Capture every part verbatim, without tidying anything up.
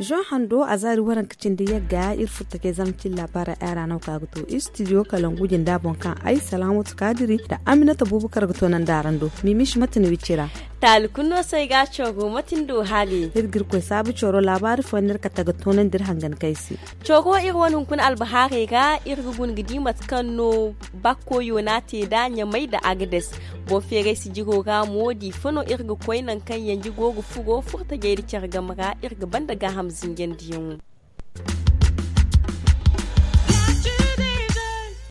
Zoŋ hando a zaari waranka cindi yagga iri furtajey zama cilla bara ay ra no ka ga to iri studio kalangu jinda boŋ kaŋ ay salaamatu kaadiri nda aminata bubakar ga to nandi araŋ do. Mimish mate no iri ci ra. Taali kulu no se ay ga a coogo mate ni do haali. Iri ga iri koy saabu cooro laabaari fooyaŋ no iri kate ga toonandi iri hangan kaŋ ay se. Coogo iri wane hunkuna albahaarey ra iri ga guna ga di mate kaŋ no bakko yoona te nd'a ɲamay nda agades. Boro feeray sijiro ra mo diifa no iri ga koy nangu kaŋ yanji go ga furo furtajey nda care game ra iri ga banda gaaham zinjandiyaŋo.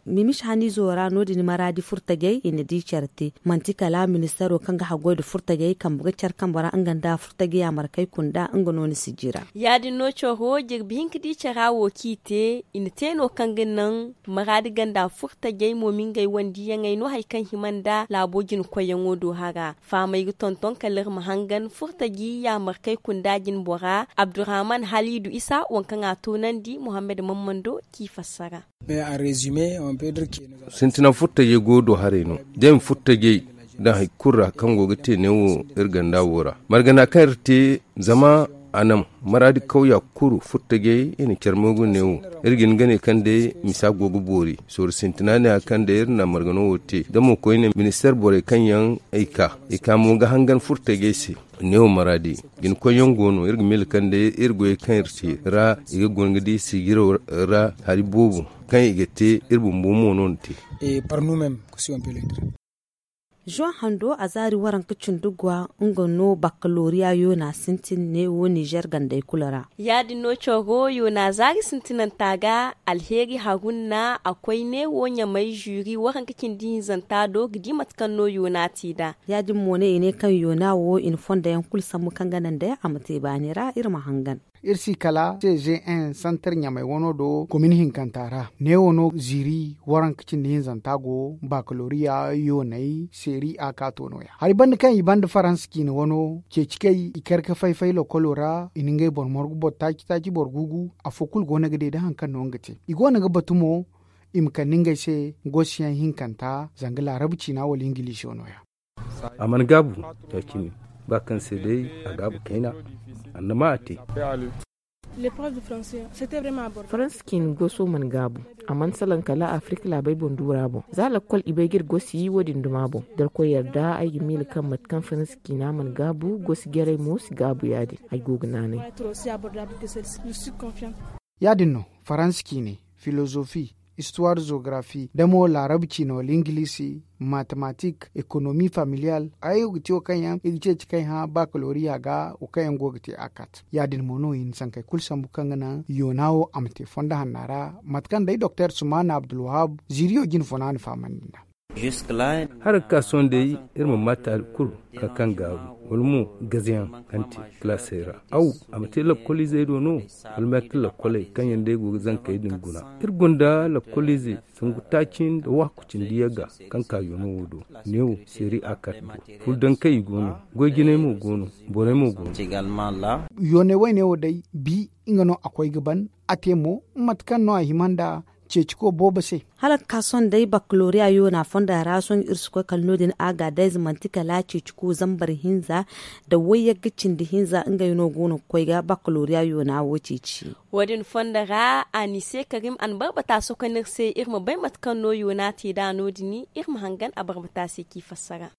Mimish haniizo ra no- din maraadi furtajey i na di care te. Manti kala ministaro kaŋ ga haggoy nda furtajey kambe ga care kambe ra nga nda furtajey yaamarkey kunda nga no ni si jira. Ya- din no coro jirbi hinka di cara wo kaŋ i te i na te no kaŋ ga naŋ maraadi ganda furtajey mo ma ngey wandiyaŋey no hari kaŋ hima nda laabo jinkoyyaŋo do hara. Fahamey ga tonton kala iri ma hangan furtaji yaamarkey kunda jine bora abdurrahman haliidu isa waŋ kaŋ a toonandi muhammad mammando k'i fassara. Sintina furtajey go do haray no da i ma furtajey daŋ hari kulu ra kaŋ go ga te neewo iri ganda wo ra margana kaŋ iri te zama a naŋ maraadi kawya kulu furtajey i na care mo ga neewo. Iri ga hin ga ne kaŋ day misa go ga boori sooru sintina ne ya kaŋ day iri na margano wo te da mo koyne ministeer borey kaŋ yaŋ ay ka i ka mo ga hangan furtajey se. Neewo maraadi jinkoyyaŋ go no iri ga miila kaŋ day iri goyey kaŋ iri te ra i ga guna ga di sijiro ra hari boobo kaŋ i ga te iri bumbo mo no ni te. Zuwan hando a zaari waranka cindi gwa nga no bakalooriya yoona sintin neewo nizer gandey kulu ra. Ya- din no coro yoona zaari sintinanta ga alheeri harunna a koy neewo ɲamay zuri waranka cindi hinzanta do ga di mate kaŋ no yoona te nd'a. Ya- din mo no i ne kaŋ yoona wo i na fondayaŋ kulu sambu kaŋ ga naŋ day a ma te baani ra iri ma hangan. Iri si kala cgn santar ɲamay wano do komin hinkanta ra neewo no ziiri waranka cindi hinzanta go bakaloriya yoonay seeri a ka to nooya hari banda kaŋ i banda faransa ciine wano ceeci kay i kar ga fay-fay lokolo ra i na ngey boro morgu boro taaci-taaci boro gugu. Afo kulu go no ga deede hari kaŋ no nga te i go no ga batu mo i ma kande ngey se gosiyaŋ hinkanta zanga laarabu ciina wala ingiliso nooya. A mana gaabu ya- cine ba kaŋ se day a gaabu kayna annama a te. Faransa ciine goso mana gaabu a mana salaŋ kala afirik laabey boŋ duura boŋ za lakkol i bay ga iri gosi wo- din duma boŋ da irkoy yarda ay ga miila kaŋ mate kaŋ faransa ciina mana gaabu gosi jarey mo si gaabu ya- din ay go ga naanay. Ya- din no faransa ciine filozofi istuwar zogarafi da mo laarabu ciine wala ingilisi matematik ekonomi familiyal hayo ga ti wo kaŋ yaŋ i ga ceeci kaŋ i hã bakaloriya ga wo kaŋ yaŋ go ga te a kat ya- din mo no i na sankey kulu sambu kaŋ ga naŋ yoona wo a ma te fondo hanna ra mate kaŋ day doktor sumana abdulwahab ziiriyo jine funa na fahamandi nd'a. Hala ga ka sohõ day iri ma ma taali kulu kaŋ kaŋ gaaru wala mo gazayaŋ kaŋ te kalaasey ra aw a ma te lakkoliizey do no wala meetar lakkoley kaŋ yaŋ day go ga zankey din guna. Iri gonda lakkoliizey sangu taaci nda waaku cindi yagga kaŋ ka yoona wo do neewo seeri a kate do. Furdankey i go no goy-jinay mo go no borey mo go no. Yoonay wayne wo day bi nga no a koy ga ban a te mo mate kaŋ no a hima nda ceeciko boobo se. Hala ga ka sohõ day bakaloriya yoona fonda ra sohõ iri si koy kala no- din a ga dayze manti kala ceeciko zambar hinza nda wayyagga cindi hinza ngey no go no ga koy ga bakaloriya yoona wo ceeci. Wo- din fonda ra a ni se karim a na barbata sohõ kaŋ iri se iri ma bay mate kaŋ no yoona te nd'a no- din iri ma hangan a barbata se k'i fassara.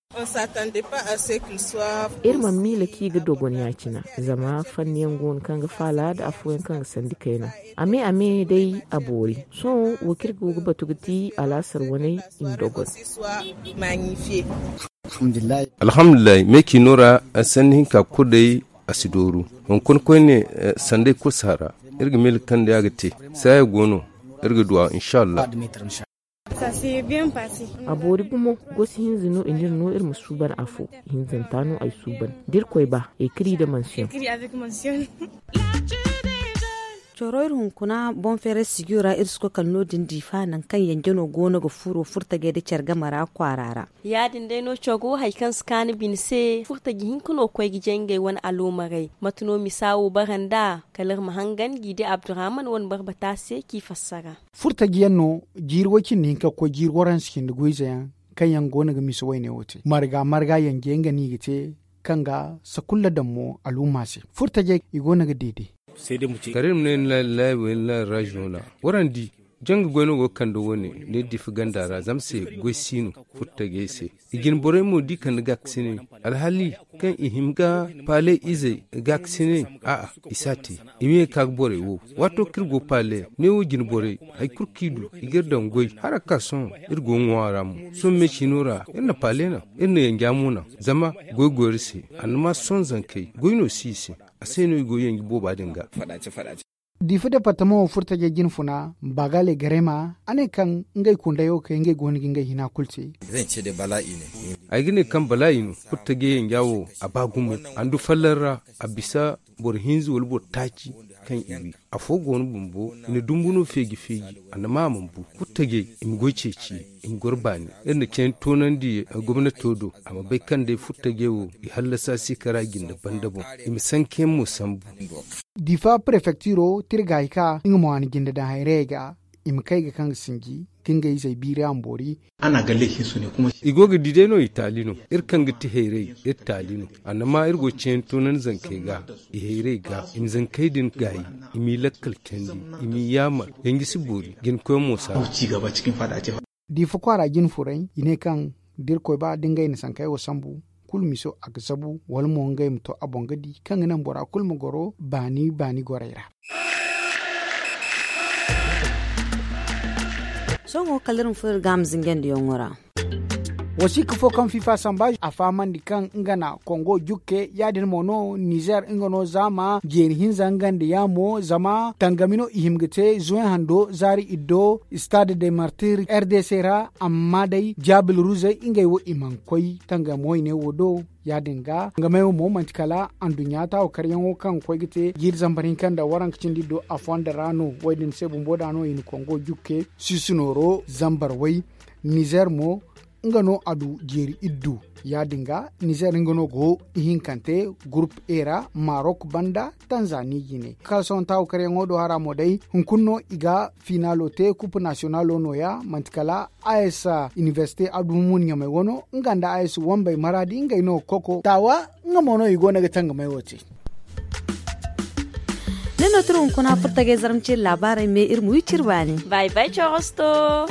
Iri mana miila kaŋ i ga dogon ya- cine zama fanniyaŋ go no kaŋ ga faala nda afooyaŋ kaŋ ga sandi kayna a me a me day a boori. Sohõ wo kaŋ iri go ga batu ga ti alaasar waney i ma dogon. Alhamdulillahi me ciino ra sanni hinka kulu day a si dooru. Hunkuna koyne sanday kulu si hara. Iri ga miila kaŋ day a ga te saaya go no. Iri ga duw'a inshallah. A boori gumo. Gosi hinza no i n'iri no iri ma suuban afo. Hinzanta no ay suuban da irkoy ba ekri da mansiyoŋ. Coro iri hunkuna boŋ feeray sijiro ra iri si koy kala no- din diifa nangu kaŋ yanjano go no ga furo furtajey nda care game ra kwaara ra. Ya- din day no coro hari kaŋ si kaanu bine se furtaji hinka no ga koy ga jay ngey wane aloomarey. Mate no misa wo bara nd'a? Kala iri ma hangan g'i di abdurahman wane barbata se k'i fassara. Furtaji yaŋ no jiiri way- cindi hinka ga koy jiiri waransa cindi goyze yaŋ kaŋ yaŋ go no ga misa wayne wo te marga marga yanje nga no i ga te, kaŋ ga sakulla daŋ mo al'umma se. Furtajey i go no ga deede. Kala iri ma ne ni laay laay wo ni laay raziyoŋ ra. Waraŋ di janga goy no go ga kande wo- ne ne diifa ganda ra zama se goy si no. Furtajey se i jine borey mo da i kande gaakasiney. Alhali kaŋ i hima ga paale izey gaakasiney, a'a, i si a te. I ma ye ga ka ga borey wo. Waato kaŋ iri go paale ne wo jine borey hari kulu kaŋ i du i ga iri daŋ goy hala ga ka sohõ. Iri go ga ŋwa ra mo sohõ me ciino ra iri na paale naŋ, iri na yanja mo naŋ. Zama goy go iri se. Annama sohõ zankey goy no si i se. A se no i go ga yanji booba din ga. Diifa departamaŋo furtajey jine funa, bagale garema a ne kaŋ ngey kundayo kay ngey go no ga ngey hina kulu te. Ay ga ne kaŋ balaayi no furtajey yanja wo. A ba gumo a ndu fallar ra. A bisa boro hinza wala boro taaci kaŋ i wi. Afo go no bumbo i na dumbu no feeji feeji. Annama a mana bu furtajey i ma goy ceeci i ma goro baani. Iri na cayni toonandi gomnato do a ma bay kaŋ day furtajey wo i hallasa se kara jinde banda boŋ. I ma sankayaŋ mo sambu. Diifa prefektiro tira ga hari ka nga mo a na jinde daŋ hayrayey ga. I ma kay ga kaŋ ga sinji ka ngey izey biiri a ma boori. I go ga di day no i taali no. Iri kaŋ ga ti hayrey iri taali no. Annama iri go ga cayni toonandi zankey ga i hayrey ga i ma zankey din gaayi. I m'i lakkal candi i m'i yaamar. Yanji si boori jinkoyaŋ mo si a. Diifa kwaara jine furey i ne kaŋ da irkoy ba da ngey na sankey wo sambu kulu miso a ga zabu wala mo ngey ma to a boŋ ga di kaŋ ga naŋ bora kulu ma goro baani baani gorey ra. Sohõ kala iri ma furo iri ga a ma zinjandiyaŋo ra. Wasiika fo kaŋ fifa samba a fahamandi kaŋ nga na kongo jukke ya- din mo no nizer nga no zaama jeeri hinza nga nda yaamo zama tangami no i hima ga te zuway hando zaari iddo stade de martir r d c ra. Amma day jaabil ruzey ngey wo i mana koy tangam wayne wo do. Ya- din ga nga may wo mo manti kala anduɲɲa taawo karyaŋo kaŋ ga koy ga te jiiri zambar hinka nda waranka cindi do a fondo ra no wo- din se bumbo da no i na kongo jukke siisi nooro zambar way. Nizer mo nga no a du jeeri iddu. Ya- din ga nizer nga no go ihinkante gurup e ra marok banda tanzani jine kala sohõ taawo karyaŋo do hara mo day hunkuna no i ga finaalo te kupu nasiyonalo nooya manti kala a s inibersite abduhumun ɲamey wano nga nda a s wambey maraadi ngey no ga koko taawa. Nga mo no i go no ga tangamey wo te. Ni no tira hunkuna furtagey zarma ciri laabaarey me iri ma wi ciri baani. Bay bay corosto.